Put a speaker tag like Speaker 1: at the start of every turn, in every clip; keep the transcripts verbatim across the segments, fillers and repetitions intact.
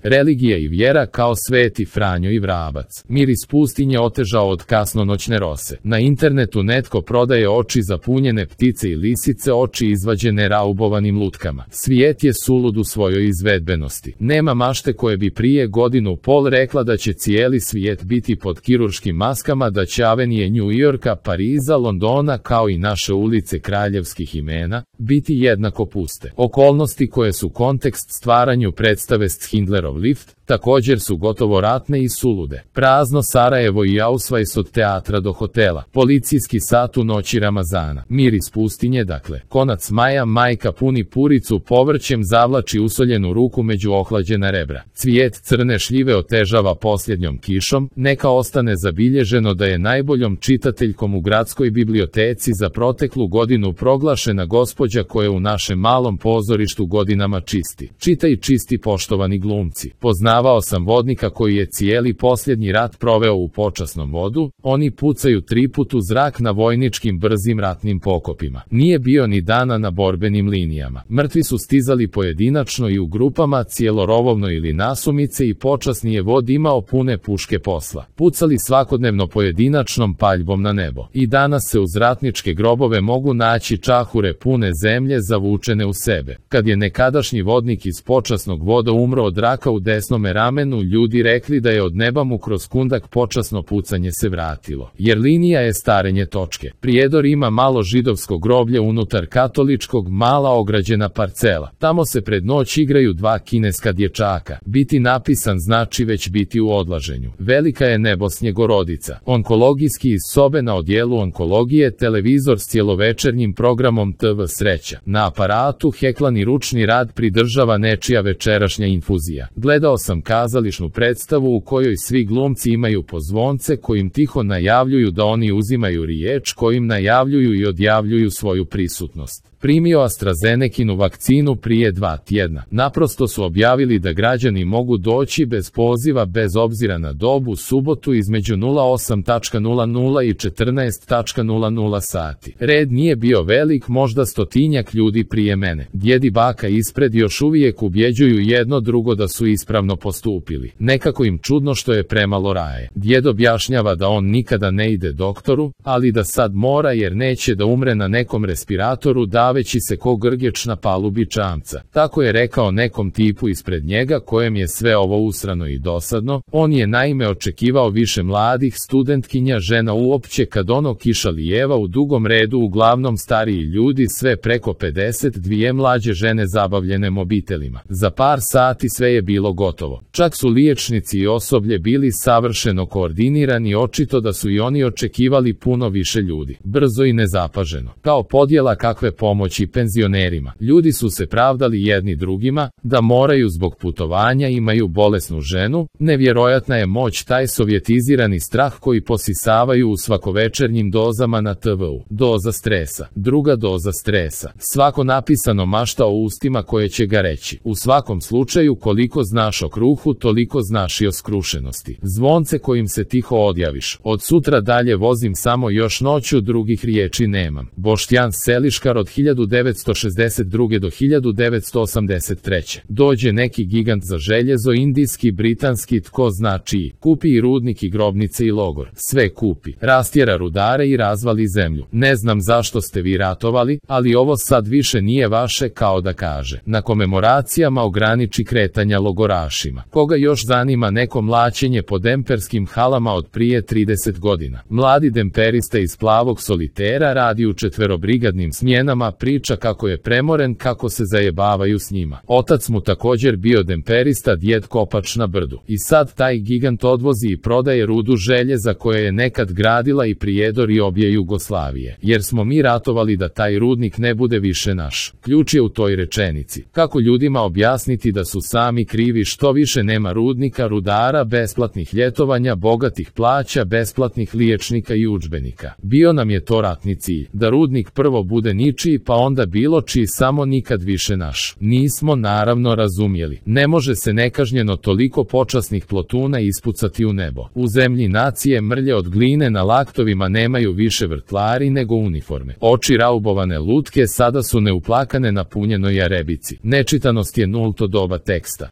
Speaker 1: Religija i vjera kao Sveti Franjo i Vrabac. Miris pustinje otežao od kasnonoćne rose. Na internetu netko prodaje oči zapunjene ptice i lisice, oči izvađene raubovanim lutkama. Svijet je sulud u svojoj izvedbenosti. Nema mašte koje bi prije godinu pol rekla da će cijeli svijet biti pod kirurškim maskama, da će avenije New Yorka, Pariza, Londona kao i naše ulice kraljevskih imena biti jednako puste. Okolnosti koje su kontekst stvaranju predstave Schindlerov lift također su gotovo ratne i sulude. Prazno Sarajevo i Ausweis od teatra do hotela. Policijski sat u noći Ramazana. Miris pustinje, dakle. Konac maja, majka puni puricu povrćem, zavlači usoljenu ruku među ohlađena rebra. Cvijet crne šljive otežava posljednjom kišom. Neka ostane zabilježeno da je najboljom čitateljkom u gradskoj biblioteci za proteklu godinu proglašena gospođa koja u našem malom pozorištu godinama čisti. Čita i čisti, poštovani glumci. Poznavao sam vodnika koji je cijeli posljednji rat proveo u počasnom vodu, oni pucaju triput u zrak na vojničkim brzim ratnim pokopima. Nije bio ni dana na borbenim linijama. Mrtvi su stizali pojedinačno i u grupama, cijelorovovno ili nasumice, i počasni je vod imao pune puške posla. Pucali svakodnevno pojedinačnom paljbom na nebo. I danas se uz ratničke grobove mogu naći čahure pune zemlje zavučene u sebe. Kad je nekadašnji vodnik iz počasnog voda umro od raka u desnome ramenu, ljudi rekli da je od neba mu kroz kundak počasno pucanje se vratilo. Jer linija je starenje točke. Prijedor ima malo židovsko groblje unutar katoličkog, mala ograđena parcela. Tamo se pred noć igraju dva kineska dječaka. Biti napisan znači već biti u odlaženju. Velika je nebo Snjegorodica. Onkologijski iz sobe na odjelu onkologije, televizor s cjelovečernjim programom T V Sreća. Na aparatu heklani ručni rad pridržava nečija večerašnja infuzija. Gledao sam kazališnu predstavu u kojoj svi glumci imaju pozvonce kojim tiho najavljuju da oni uzimaju riječ, kojim najavljuju i odjavljuju svoju prisutnost. Primio AstraZenekinu vakcinu prije dva tjedna. Naprosto su objavili da građani mogu doći bez poziva bez obzira na dobu, subotu između nula osam nula nula i četrnaest nula nula sati. Red nije bio velik, možda stotinjak ljudi prije mene. Djed i baka ispred još uvijek ubjeđuju jedno drugo da su ispravno postupili. Nekako im čudno što je premalo raje. Djed objašnjava da on nikada ne ide doktoru, ali da sad mora jer neće da umre na nekom respiratoru daveći se ko grgeč na palubi čamca. Tako je rekao nekom tipu ispred njega kojem je sve ovo usrano i dosadno. On je naime očekivao više mladih studentkinja, žena uopće, kad ono kiša lijeva u dugom redu, uglavnom stariji ljudi, sve preko pedeset, dvije mlađe žene zabavljene mobitelima. Za par sati sve je bilo gotovo. Čak su liječnici i osoblje bili savršeno koordinirani, očito da su i oni očekivali puno više ljudi. Brzo i nezapaženo. Kao podjela kakve pomoći penzionerima. Ljudi su se pravdali jedni drugima, da moraju zbog putovanja, imaju bolesnu ženu. Nevjerojatna je moć, taj sovjetizirani strah koji posisavaju u svakovečernjim dozama na T V-u. Doza stresa, druga doza stresa. Svako napisano mašta o ustima koje će ga reći. U svakom slučaju, koliko znaš o kruhu, toliko znaš i o skrušenosti. Zvonce kojim se tiho odjaviš. Od sutra dalje vozim samo još noću, drugih riječi nemam. Boštjan Seliškar od hiljadu devetsto šezdeset druge do hiljadu devetsto osamdeset treće. Dođe neki gigant za željezo, indijski, britanski, tko zna čiji. Kupi i rudnik i grobnice i logor. Sve kupi. Rastjera rudare i razvali zemlju. Ne znam zašto ste vi ratovali, ali ovo sad više nije vaše, kao da kaže. Na komemoracijama ograniči kretanja logorašima. Koga još zanima neko mlaćenje po demperskim halama od prije trideset godina. Mladi demperista iz plavog solitera radi u četverobrigadnim smjenama, priča kako je premoren, kako se zajebavaju s njima. Otac mu također bio demperista, djed kopač na brdu. I sad taj gigant odvozi i prodaje rudu željeza koje je nekad gradila i Prijedor i obje Jugoslavije. Jer smo mi ratovali da taj rudnik ne bude više naš. Ključ je u toj rečenici. Kako ljudima objasniti da su sami krivi što više nema rudnika, rudara, besplatnih ljetovanja, bogatih plaća, besplatnih liječnika i udžbenika. Bio nam je to ratni cilj. Da rudnik prvo bude ničiji, pa onda bilo čiji, samo nikad više naš. Nismo naravno razumjeli. Ne može se nekažnjeno toliko počasnih plotuna ispucati u nebo. U zemlji nacije mrlje od gline na laktovima nemaju više vrtlari nego uniforme. Oči raubovane lutke sada su neuplakane na punjenoj jarebici. Nečitanost je nulto doba teksta.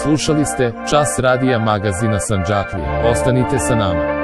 Speaker 1: Slušali ste Čas radija magazina Sandžaklija. Ostanite sa nama.